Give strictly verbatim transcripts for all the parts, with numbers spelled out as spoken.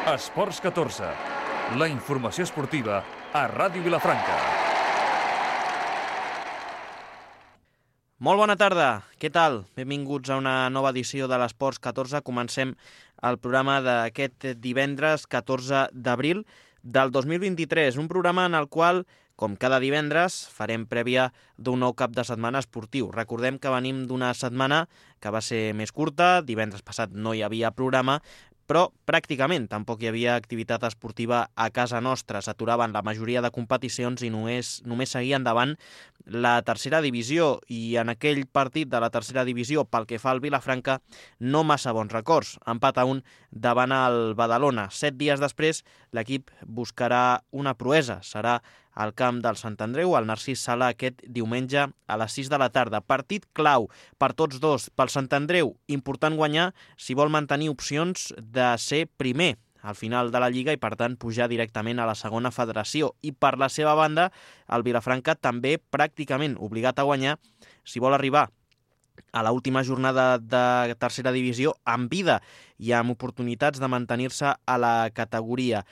Esports catorze, la informació esportiva a Ràdio Vilafranca. Molt bona tarda, què tal? Benvinguts a una nova edició de l'Esports catorze. Comencem el programa d'aquest divendres catorze d'abril del dos mil vint-i-tres, un programa en el qual, com cada divendres, farem prèvia d'un nou cap de setmana esportiu. Recordem que venim d'una setmana que va ser més curta, divendres passat no hi havia programa, però pràcticament tampoc hi havia activitat esportiva a casa nostra. S'aturaven la majoria de competicions i només, només seguia endavant la tercera divisió, i en aquell partit de la tercera divisió, pel que fa al Vilafranca, no massa bons records. Empat a un davant el Badalona. Set dies després, l'equip buscarà una proesa. Serà al camp del Sant Andreu, al Narcís Sala, aquest diumenge a les sis de la tarda. Partit clau per tots dos. Pel Sant Andreu, important guanyar si vol mantenir opcions de ser primer al final de la Lliga i, per tant, pujar directament a la segona federació. I per la seva banda, el Vilafranca també pràcticament obligat a guanyar si vol arribar a l'última jornada de tercera divisió amb vida i amb oportunitats de mantenir-se a la categoria.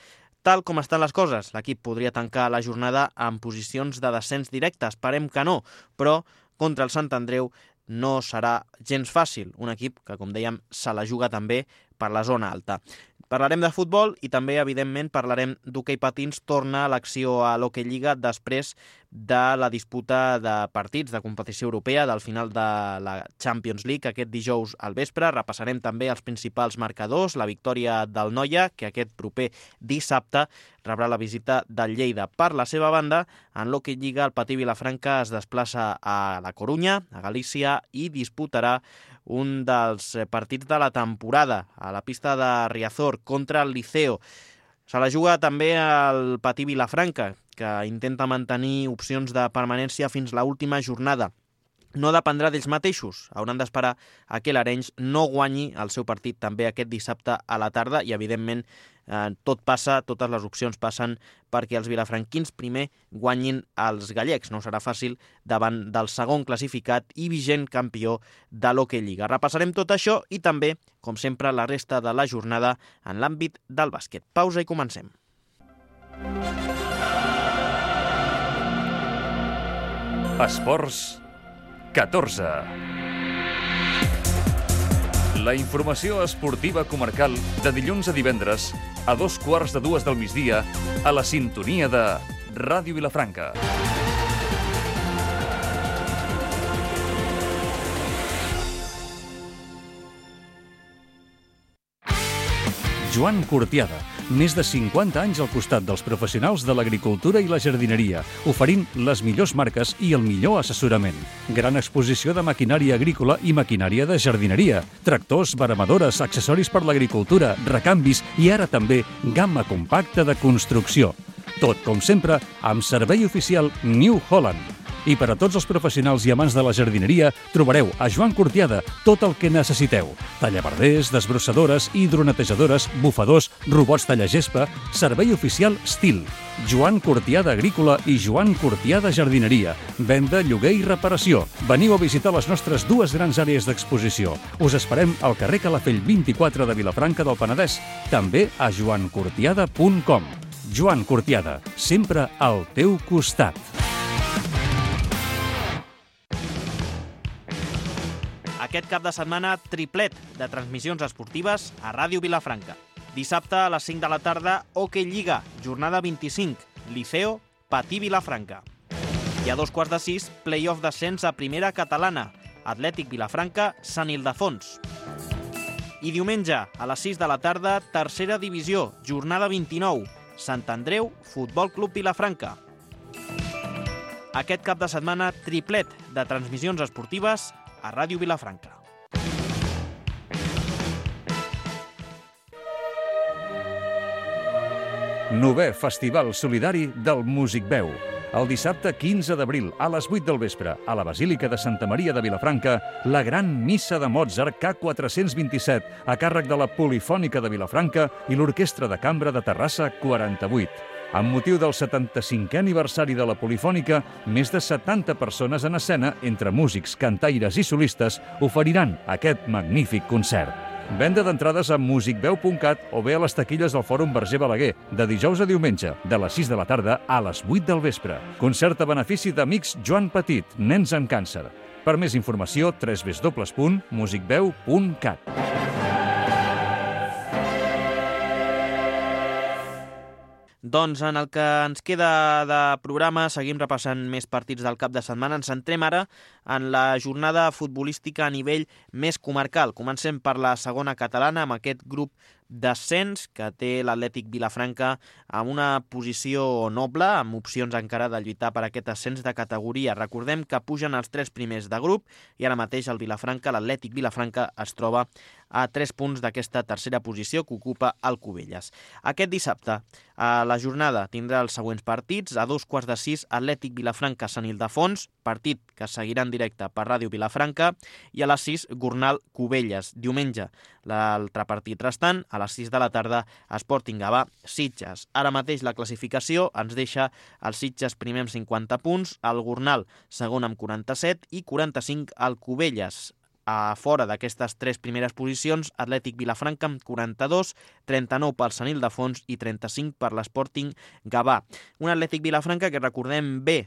Tal com estan les coses, l'equip podria tancar la jornada en posicions de descens directe. Esperem que no, però contra el Sant Andreu no serà gens fàcil. Un equip que, com dèiem, se la juga també per la zona alta. Parlarem de futbol i també, evidentment, parlarem d'hoquei patins. Torna l'acció a l'Hockey Lliga després de la disputa de partits de competició europea, del final de la Champions League aquest dijous al vespre. Repassarem també els principals marcadors, la victòria del Noia, que aquest proper dissabte rebrà la visita del Lleida. Per la seva banda, en l'Hockey Lliga, el Patí Vilafranca es desplaça a la Corunya, a Galícia, i disputarà un dels partits de la temporada a la pista de Riazor contra el Liceo. Se la juga també el Patí Vilafranca, que intenta mantenir opcions de permanència fins a l'última jornada. No dependrà d'ells mateixos, hauran d'esperar a que l'Arenys no guanyi el seu partit també aquest dissabte a la tarda i, evidentment, eh, tot passa, totes les opcions passen perquè els vilafranquins primer guanyin els gallecs. No serà fàcil davant del segon classificat i vigent campió de l'Hockey Lliga. Repassarem tot això i també, com sempre, la resta de la jornada en l'àmbit del bàsquet. Pausa i comencem. Esports catorze. La informació esportiva comarcal de dilluns a divendres a dos quarts de dues del migdia a la sintonia de Ràdio Vilafranca. Joan Cortiada, més de cinquanta anys al costat dels professionals de l'agricultura i la jardineria, oferint les millors marques i el millor assessorament. Gran exposició de maquinària agrícola i maquinària de jardineria, tractors, veremadores, accessoris per l'agricultura, recanvis i ara també gamma compacta de construcció. Tot, com sempre, amb servei oficial New Holland. I per a tots els professionals i amants de la jardineria trobareu a Joan Cortiada tot el que necessiteu. Tallaverders, desbrossadores, hidronetejadores, bufadors, robots tallagespa, servei oficial Stil, Joan Cortiada Agrícola i Joan Cortiada Jardineria, venda, lloguer i reparació. Veniu a visitar les nostres dues grans àrees d'exposició. Us esperem al carrer Calafell vint-i-quatre de Vilafranca del Penedès, també a joan cortiada punt com. Joan Cortiada, sempre al teu costat. Aquest cap de setmana, triplet de transmissions esportives a Ràdio Vilafranca. Dissabte a les cinc de la tarda, Hockey Lliga, jornada vint-i-cinc, Liceo, Patí Vilafranca. I a dos quarts de sis, play-off d'ascens a primera catalana, Atlètic Vilafranca, Sant Ildefons. I diumenge, a les sis de la tarda, tercera divisió, jornada vint-i-nou, Sant Andreu, Futbol Club Vilafranca. Aquest cap de setmana, triplet de transmissions esportives a Ràdio Vilafranca. Novè Festival Solidari del Músic Veu. El dissabte quinze d'abril, a les vuit del vespre, a la Basílica de Santa Maria de Vilafranca, la Gran Missa de Mozart K quatre-cents vint-i-set, a càrrec de la Polifònica de Vilafranca i l'Orquestra de Cambra de Terrassa quaranta-vuit. Amb motiu del setanta-cinquè aniversari de la Polifònica, més de setanta persones en escena, entre músics, cantaires i solistes, oferiran aquest magnífic concert. Venda d'entrades a musicveu punt cat o bé a les taquilles del Fòrum Verger Balaguer, de dijous a diumenge, de les sis de la tarda a les vuit del vespre. Concert a benefici d'Amics Joan Petit, nens amb càncer. Per més informació, w w w punt musicveu punt cat. Doncs en el que ens queda de programa seguim repassant més partits del cap de setmana. Ens centrem ara en la jornada futbolística a nivell més comarcal. Comencem per la segona catalana amb aquest grup d'ascens que té l'Atlètic Vilafranca amb una posició noble, amb opcions encara de lluitar per aquest ascens de categoria. Recordem que pugen els tres primers de grup i ara mateix el Vilafranca, l'Atlètic Vilafranca, es troba a tres punts d'aquesta tercera posició que ocupa el Cubelles. Aquest dissabte a la jornada tindrà els següents partits. A dos quarts de sis, Atlètic Vilafranca, Sant Ildefons, partit que seguirà en directe per Ràdio Vilafranca, i a les sis, Gornal Cubelles. Diumenge, l'altre partit restant, a les sis de la tarda, Sporting Gavà Sitges. Ara mateix la classificació ens deixa el Sitges primer amb cinquanta punts, el Gornal segon amb quaranta-set i quaranta-cinc al Cubelles. A fora d'aquestes tres primeres posicions, Atlètic Vilafranca amb quaranta-dos, trenta-nou pel Sant Ildefons i trenta-cinc per l'Sporting Gavà. Un Atlètic Vilafranca que recordem bé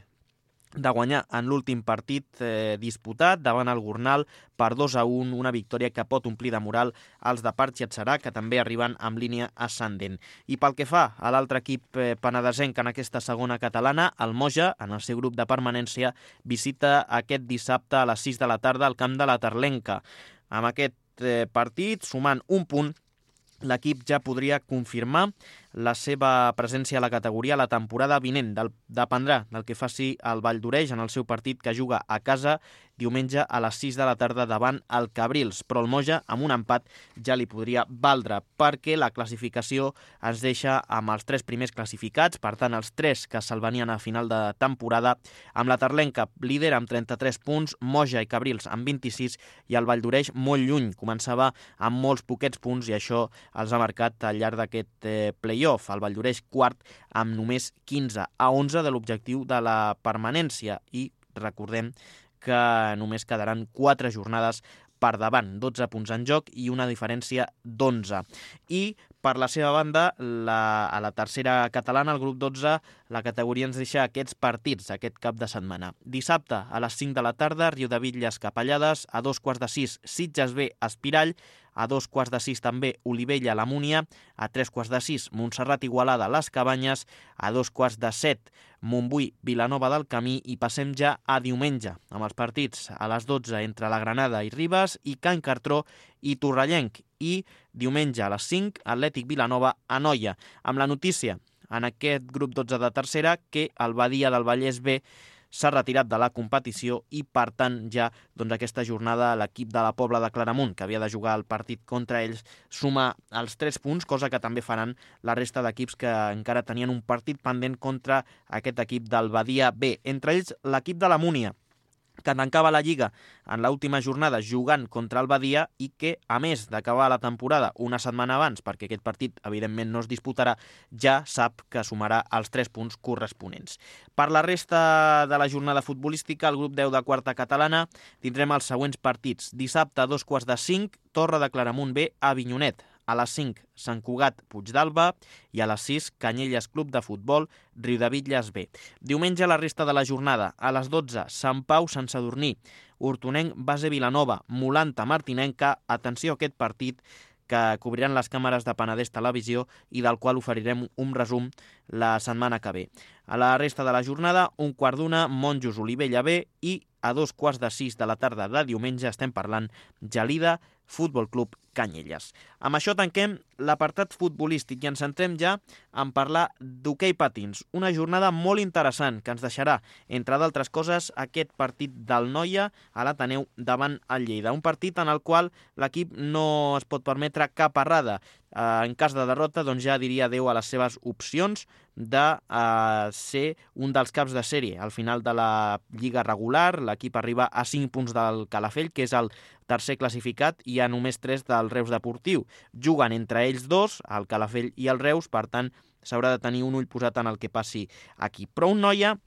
de guanyar en l'últim partit eh, disputat davant el Gornal per dos a un, una victòria que pot omplir de moral els de Parc Xatsarà, que també arriben amb línia ascendent. I pel que fa a l'altre equip eh, penedesenc en aquesta segona catalana, el Moja, en el seu grup de permanència, visita aquest dissabte a les sis de la tarda al camp de la Terlenca. Amb aquest eh, partit, sumant un punt, l'equip ja podria confirmar la seva presència a la categoria la temporada vinent. Del, dependrà del que faci el Vall d'Oreix en el seu partit que juga a casa diumenge a les sis de la tarda davant el Cabrils. Però el Moja, amb un empat, ja li podria valdre, perquè la classificació es deixa amb els tres primers classificats, per tant, els tres que se'l venien a final de temporada, amb la Terlenca líder amb trenta-tres punts, Moja i Cabrils amb vint-i-sis i el Vall d'Oreix molt lluny. Començava amb molts poquets punts i això els ha marcat al llarg d'aquest eh, play-off. El Vall d'Oreix quart amb només quinze, a onze de l'objectiu de la permanència, i recordem que només quedaran quatre jornades per davant, dotze punts en joc i una diferència d'onze. I per la seva banda, la, a la tercera catalana, el grup dotze, la categoria ens deixa aquests partits aquest cap de setmana. Dissabte, a les cinc de la tarda, Riudebitlles Capellades, a dos quarts de sis, Sitges B Espirall, a dos quarts de sis també Olivella la Múnia, a tres quarts de sis Montserrat Igualada Les Cabanyes, a dos quarts de set Montbui Vilanova del Camí, i passem ja a diumenge amb els partits a les dotze entre la Granada i Ribes i Can Cartró i Torrellenc, i diumenge a les cinc Atlètic Vilanova a Noia, amb la notícia en aquest grup dotze de tercera que el Badia del Vallès B s'ha retirat de la competició i, per tant, ja doncs, aquesta jornada l'equip de la Pobla de Claramunt, que havia de jugar el partit contra ells, suma els tres punts, cosa que també faran la resta d'equips que encara tenien un partit pendent contra aquest equip del Badia B. Entre ells, l'equip de la Múnia, que tancava la Lliga en l'última jornada jugant contra el Badia i que, a més d'acabar la temporada una setmana abans, perquè aquest partit evidentment no es disputarà, ja sap que sumarà els tres punts corresponents. Per la resta de la jornada futbolística, el grup deu de quarta catalana, tindrem els següents partits. Dissabte a dos quarts de cinc, Torre de Claramunt B a Avinyonet. A les cinc, Sant Cugat Puigdàlber, i a les sis, Canyelles Club de Futbol Riudebitlles B. Diumenge la resta de la jornada. A les dotze, Sant Pau Sant Sadurní, Hortonenc Base Vilanova, Molanta Martinenca. Atenció a aquest partit que cobriran les càmeres de Penedès Televisió i del qual oferirem un resum la setmana que ve. A la resta de la jornada, un quart d'una, Monjos Olivella B, i a dos quarts de sis de la tarda de diumenge estem parlant Gelida Futbol Club Canyelles. Amb això tanquem l'apartat futbolístic i ens centrem ja en parlar d'hoquei patins. Una jornada molt interessant que ens deixarà, entre d'altres coses, aquest partit del Noia a l'Ateneu davant el Lleida. Un partit en el qual l'equip no es pot permetre cap errada. En cas de derrota, doncs ja diria adeu a les seves opcions de uh, ser un dels caps de sèrie. Al final de la lliga regular, l'equip arriba a cinc punts del Calafell, que és el tercer classificat, i a només tres del Reus Deportiu. Juguen entre ells dos, el Calafell i el Reus, per tant, s'haurà de tenir un ull posat en el que passi aquí. Però un Noia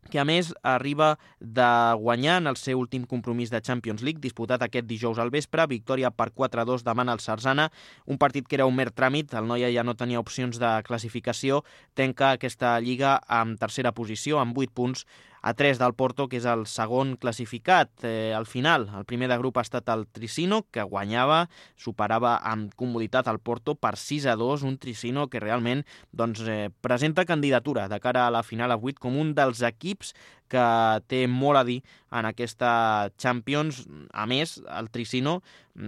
que a més arriba de guanyar en el seu últim compromís de Champions League, disputat aquest dijous al vespre, victòria per quatre a dos davant el Sarzana, un partit que era un mer tràmit, el Noia ja no tenia opcions de classificació, tanca aquesta lliga amb tercera posició, amb vuit punts, a tres del Porto, que és el segon classificat. Eh, al final, el primer de grup ha estat el Tricino, que guanyava, superava amb comoditat el Porto per sis a dos, un Tricino que realment doncs, eh, presenta candidatura de cara a la final a vuit com un dels equips que té molt a dir en aquesta Champions. A més, el Tricino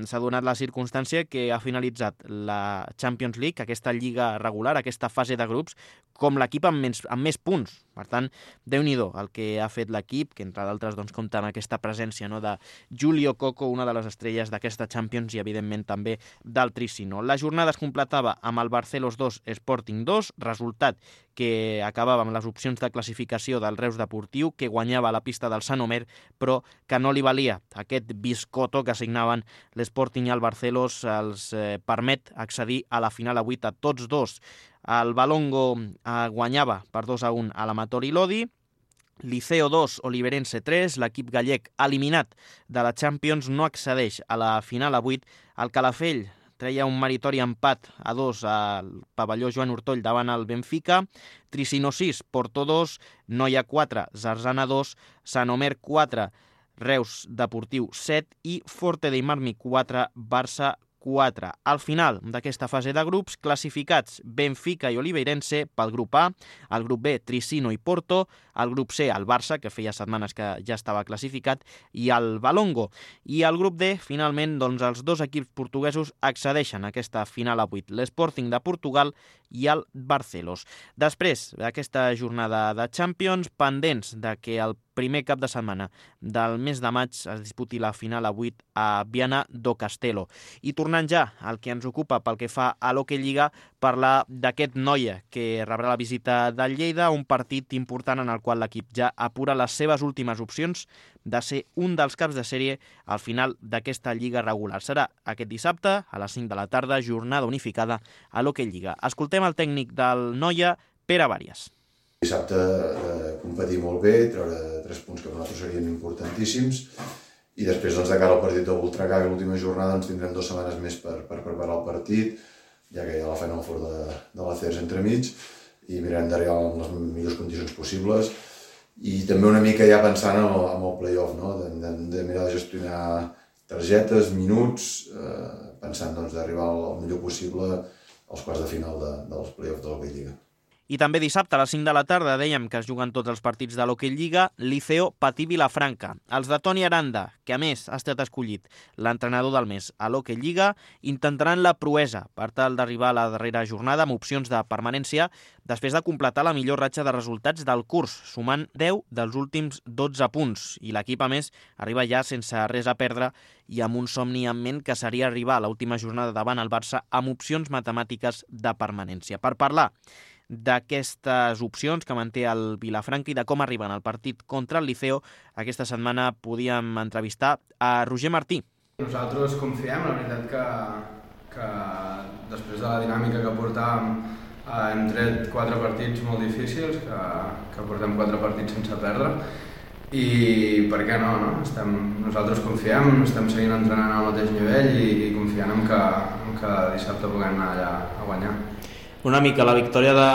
s'ha donat la circumstància que ha finalitzat la Champions League, aquesta lliga regular, aquesta fase de grups, com l'equip amb, més, amb més punts. Per tant, Déu-n'hi-do el que ha fet l'equip, que entre d'altres doncs, compta amb aquesta presència, no, de Julio Coco, una de les estrelles d'aquesta Champions i evidentment també del Tricino. La jornada es completava amb el Barcelos dos, Sporting dos, resultat que acabava amb les opcions de classificació del Reus Deportiu, que guanyava a la pista del Sant Omer, però que no li valia. Aquest biscotto que assignaven l'Sporting i el Barcelos els eh, permet accedir a la final a vuit a tots dos. El Balongo eh, guanyava per dos a un a l'Amatori Lodi, Liceo dos, Oliverense tres, l'equip gallec eliminat de la Champions no accedeix a la final a vuit, el Calafell treia un meritori empat a dos al pavelló Joan Ortoll davant el Benfica, Tricino sis, Porto dos, Noia quatre, Zarzana dos, Sant Omer quatre, Reus Deportiu set i Forte dei Marmi quatre, Barça quatre. Al final d'aquesta fase de grups, classificats Benfica i Oliveirense pel grup A, el grup B, Tricino i Porto, el grup C, el Barça, que feia setmanes que ja estava classificat, i el Balongo. I el grup D, finalment, doncs, els dos equips portuguesos accedeixen a aquesta final a vuit, l'Sporting de Portugal i el Barcelos. Després d'aquesta jornada de Champions, pendents de que el primer cap de setmana del mes de maig es disputi la final a vuit a Viana do Castelo. I tornant ja al que ens ocupa pel que fa a l'Hockey Lliga, parlar d'aquest Noia que rebrà la visita del Lleida, un partit important en el qual l'equip ja apura les seves últimes opcions de ser un dels caps de sèrie al final d'aquesta lliga regular. Serà aquest dissabte a les cinc de la tarda, jornada unificada a l'Hockey Lliga. Escoltem el tècnic del Noia, Pere Vàries. Dissabte eh, competir molt bé, treure tres punts que per nosaltres serien importantíssims i després doncs, de cara al partit del Voltregà, que l'última jornada ens tindrem dues setmanes més per, per preparar el partit, ja que hi ha la Final Four de, de l'A C E R S entremig i mirarem d'arribar en les millors condicions possibles i també una mica ja pensant en el, en el play-off, no? de, de, de mirar de gestionar targetes, minuts, eh, pensant doncs, d'arribar el millor possible als quarts de final de, dels play-offs de l'Hockey Lliga. I també dissabte a les cinc de la tarda dèiem que es juguen tots els partits de l'Hockey Lliga, Liceo Patí Vilafranca. Els de Toni Aranda, que a més ha estat escollit l'entrenador del mes a l'Hockey Lliga, intentaran la proesa per tal d'arribar a la darrera jornada amb opcions de permanència després de completar la millor ratxa de resultats del curs, sumant deu dels últims dotze punts. I l'equip, a més, arriba ja sense res a perdre i amb un somni en ment que seria arribar a l'última jornada davant el Barça amb opcions matemàtiques de permanència. Per parlar d'aquestes opcions que manté el Vilafranca i de com arriben al partit contra el Liceo, aquesta setmana podíem entrevistar a Roger Martí. Nosaltres confiem, la veritat que, que després de la dinàmica que portàvem eh, hem tret quatre partits molt difícils, que, que portem quatre partits sense perdre i per què no, no? Estem, nosaltres confiem, estem seguint entrenant al mateix nivell i, i confiant en que, en que dissabte puguem anar allà a guanyar. Una mica la victòria de,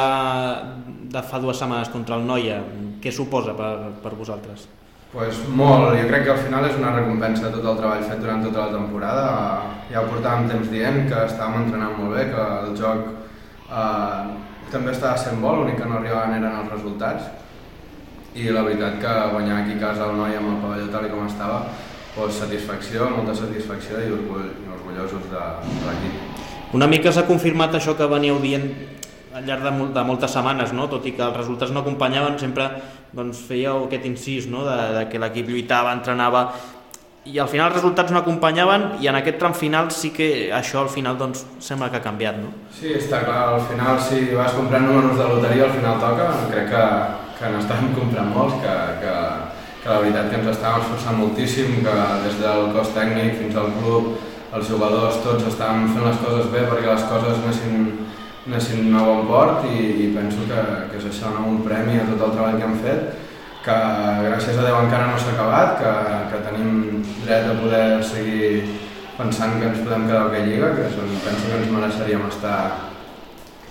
de fa dues setmanes contra el Noia, què suposa per, per vosaltres? Pues molt, jo crec que al final és una recompensa de tot el treball fet durant tota la temporada. Ja ho portàvem temps dient que estàvem entrenant molt bé, que el joc eh, també estava sent bo, l'únic que no arribaven eren els resultats. I la veritat que guanyar aquí a casa el Noia amb el pavelló tal com estava, pues, satisfacció, molta satisfacció i orgull, orgullosos de, de l'equip. Una mica s'ha confirmat això que veníeu dient al llarg de, molt, de moltes setmanes, no? Tot i que els resultats no acompanyaven, sempre doncs, fèieu aquest incís, no? de, de que l'equip lluitava, entrenava, i al final els resultats no acompanyaven i en aquest tram final sí que això al final doncs, sembla que ha canviat, no? Sí, està clar, al final si vas comprant números de loteria al final toca, crec que, que n'estàvem comprant molts, que, que, que la veritat que ens estàvem esforçant moltíssim, que des del cos tècnic fins al club, els jugadors tots estàvem fent les coses bé perquè les coses anessin, anessin a bon port i, i penso que, que és això, no? Un premi a tot el treball que hem fet que gràcies a Déu encara no s'ha acabat, que, que tenim dret a poder seguir pensant que ens podem quedar a aquella lliga, que són, penso que ens mereixeríem estar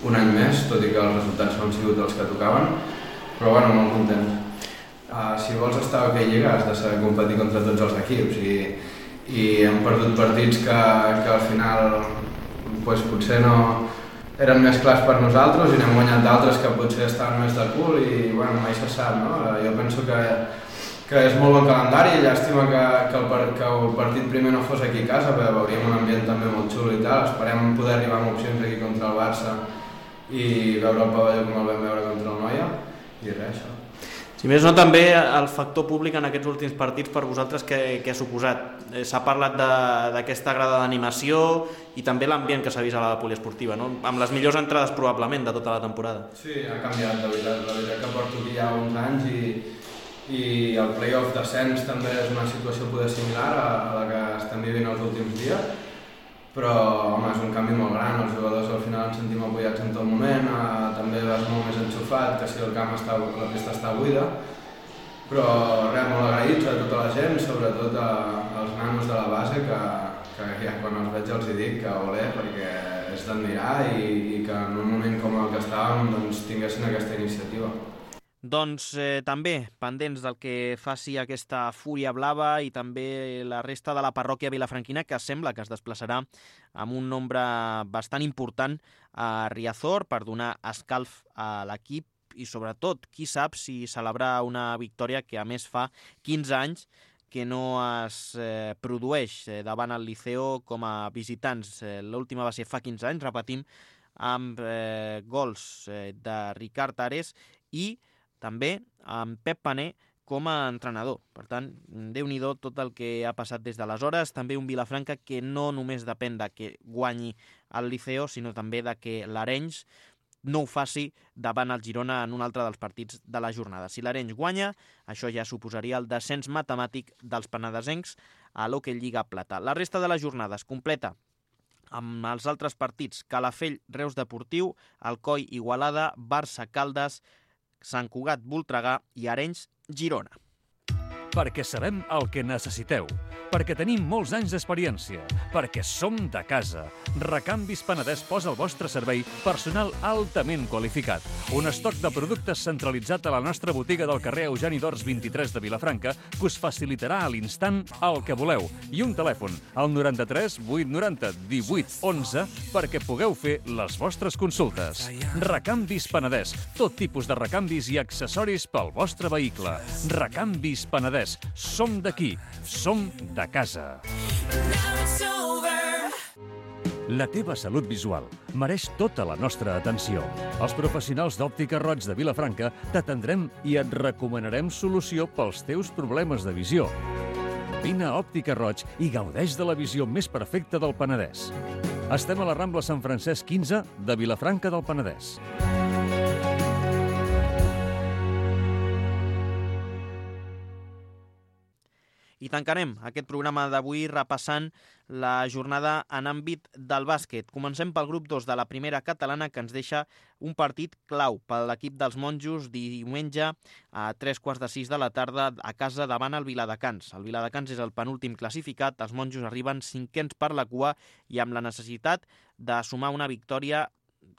un any més, tot i que els resultats no han sigut els que tocaven, però bueno, molt content. Uh, si vols estar a aquella lliga has de saber competir contra tots els equips i, i hem perdut partits que, que al final pues, potser no eren més clars per nosaltres i n'hem guanyat d'altres que potser estaven més de cul i bueno, mai se sap, no? Jo penso que, que és molt bon calendari i llàstima que, que, el, que el partit primer no fos aquí a casa, perquè veuríem un ambient també molt xulo i tal. Esperem poder arribar amb opcions aquí contra el Barça i veure el pavelló com el vam veure contra el Noia i res, això. Si més no, també el factor públic en aquests últims partits per vosaltres què, què ha suposat? S'ha parlat d'aquesta grada d'animació i també l'ambient que s'ha vist a la poliesportiva, no? Amb les millors entrades probablement de tota la temporada. Sí, ha canviat, de veritat. La veritat que porto aquí ja uns anys i, i el play-off d'ascens també és una situació poder similar a, a la que estem vivint els últims dies, però home, és un canvi molt gran, els jugadors al final ens sentim apoyats en tot moment, eh, també vas molt més enxufat que si el camp està, la pista està buida, però res, molt agraïts a tota la gent, sobretot a, als nanos de la base, que, que ja quan els veig els hi dic que olé, perquè és d'admirar i, i que en un moment com el que estàvem doncs, tinguessin aquesta iniciativa. Doncs eh, també pendents del que faci aquesta Fúria Blava i també la resta de la parròquia vilafranquina, que sembla que es desplaçarà amb un nombre bastant important a Riazor per donar escalf a l'equip i sobretot, qui sap si celebrar una victòria que a més fa quinze anys que no es eh, produeix eh, davant el Liceo com a visitants. Eh, L'última va ser fa quinze anys, repetim, amb eh, gols eh, de Ricard Ares i també amb Pep Pané com a entrenador. Per tant, déu-n'hi-do tot el que ha passat des d'aleshores. També un Vilafranca que no només depèn de que guanyi el Liceo, sinó també de que l'Arenys no ho faci davant el Girona en un altre dels partits de la jornada. Si l'Arenys guanya, això ja suposaria el descens matemàtic dels penedesencs a l'Hockey Lliga Plata. La resta de la jornada es completa amb els altres partits: Calafell, Reus Deportiu, Alcoi, Igualada, Barça, Caldes, Sant Cugat, Voltregà i Arenys, Girona. Perquè sabem el que necessiteu, perquè tenim molts anys d'experiència, perquè som de casa. Recanvis Penedès posa al vostre servei personal altament qualificat. Un estoc de productes centralitzat a la nostra botiga del carrer Eugeni d'Ors vint-i-tres de Vilafranca que us facilitarà a l'instant el que voleu. I un telèfon, al noranta-tres vuit noranta divuit onze, perquè pugueu fer les vostres consultes. Recanvis Penedès, tot tipus de recanvis i accessoris pel vostre vehicle. Recanvis Penedès. Som d'aquí, som de casa. La teva salut visual mereix tota la nostra atenció. Els professionals d'Òptica Roig de Vilafranca t'atendrem i et recomanarem solució pels teus problemes de visió. Vine a Òptica Roig i gaudeix de la visió més perfecta del Penedès. Estem a la Rambla Sant Francesc quinze de Vilafranca del Penedès. I tancarem aquest programa d'avui repassant la jornada en àmbit del bàsquet. Comencem pel grup dos de la primera catalana, que ens deixa un partit clau per l'equip dels monjos diumenge a tres quarts de sis de la tarda a casa davant el Viladecans. El Viladecans és el penúltim classificat, els monjos arriben cinquens per la cua i amb la necessitat de sumar una victòria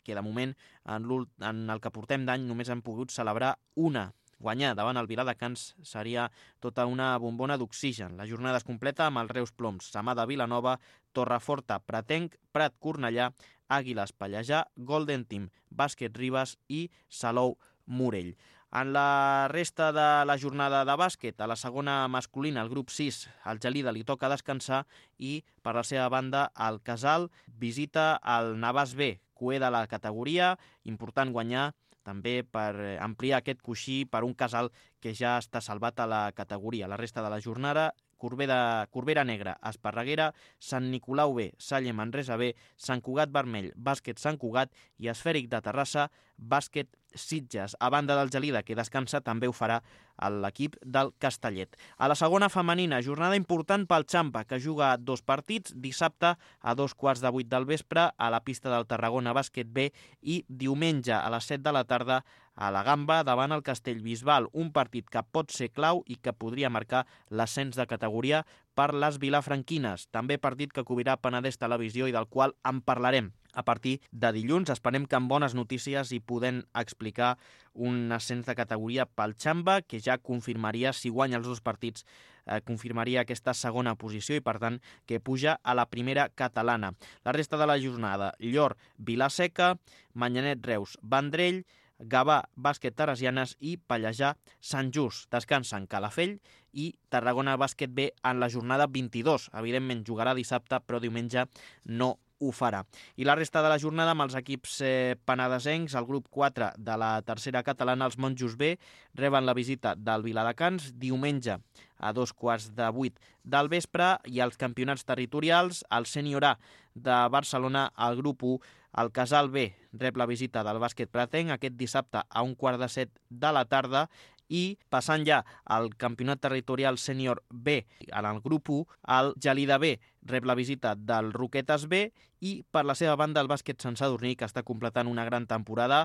que de moment en, en el que portem d'any només han pogut celebrar una. Guanyar davant el Viladecans seria tota una bombona d'oxigen. La jornada es completa amb els Reus Ploms, Samà de Vilanova, Torreforta, Pratenc, Prat Cornellà, Àguiles Pallejà, Golden Team, Bàsquet Ribes i Salou Morell. En la resta de la jornada de bàsquet, a la segona masculina, el grup sis, al Gelida li toca descansar i, per la seva banda, el Casal visita el Navàs B, cué de la categoria, important guanyar també per ampliar aquest coixí per un Casal que ja està salvat a la categoria. La resta de la jornada, Corbera, Corbera Negra, Esparreguera, Sant Nicolau B, Salle Manresa B, Sant Cugat Vermell, Bàsquet Sant Cugat i Esfèric de Terrassa, Bàsquet Sitges. A banda del Gelida, que descansa, també ho farà l'equip del Castellet. A la segona femenina, jornada important pel Xampa, que juga dos partits, dissabte a dos quarts de vuit del vespre a la pista del Tarragona Bàsquet B i diumenge a les set de la tarda a la Gamba davant el Castellbisbal, un partit que pot ser clau i que podria marcar l'ascens de categoria per les vilafranquines. També partit que cobrirà Penedès Televisió i del qual en parlarem a partir de dilluns. Esperem que amb bones notícies hi podem explicar un ascens de categoria pel Xamba, que ja confirmaria, si guanya els dos partits, eh, confirmaria aquesta segona posició i, per tant, que puja a la primera catalana. La resta de la jornada: Llor, Vilaseca, Manyanet, Reus, Vendrell, Gavà, Bàsquet, Teresianes i Pallejà, Sant Just. Descansen Calafell i Tarragona Bàsquet B en la jornada vint-i-dos. Evidentment jugarà dissabte, però diumenge no ho farà. I la resta de la jornada amb els equips eh, penedesencs, el grup quatre de la tercera catalana, els Monjos B, reben la visita del Viladecans diumenge a dos quarts de vuit del vespre, i els campionats territorials, el Sènior A de Barcelona, el grup u, el Casal B rep la visita del Bàsquet Pratenc aquest dissabte a un quart de set de la tarda, i passant ja al campionat territorial sènior B en el grup u, el Gelida B rep la visita del Roquetes B, i per la seva banda el Bàsquet Sant Sadurní, que està completant una gran temporada,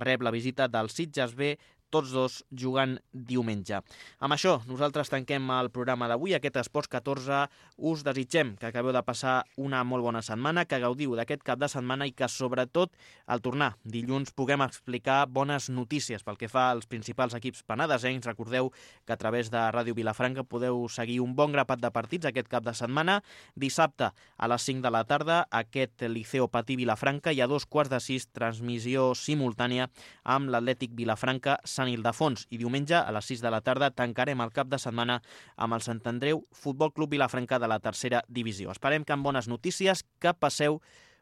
rep la visita del Sitges B, tots dos jugant diumenge. Amb això, nosaltres tanquem el programa d'avui, aquest Esports catorze. Us desitgem que acabeu de passar una molt bona setmana, que gaudiu d'aquest cap de setmana i que, sobretot, al tornar dilluns puguem explicar bones notícies pel que fa als principals equips penedesencs. Recordeu que a través de Ràdio Vilafranca podeu seguir un bon grapat de partits aquest cap de setmana. Dissabte a les cinc de la tarda, aquest Liceo Patí Vilafranca, i a dos quarts de sis, transmissió simultània amb l'Atlètic Vilafranca Sant Ildefons, i diumenge a les sis de la tarda tancarem el cap de setmana amb el Sant Andreu Futbol Club Vilafranca de la tercera divisió. Esperem que amb bones notícies, que passeu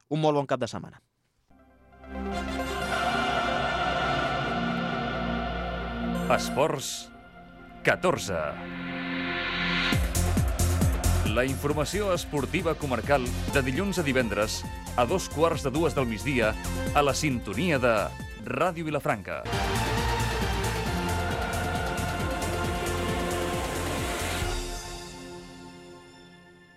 un molt bon cap de setmana. Esports catorze. La informació esportiva comarcal de dilluns a divendres a dos quarts de dues del migdia a la sintonia de Ràdio Vilafranca.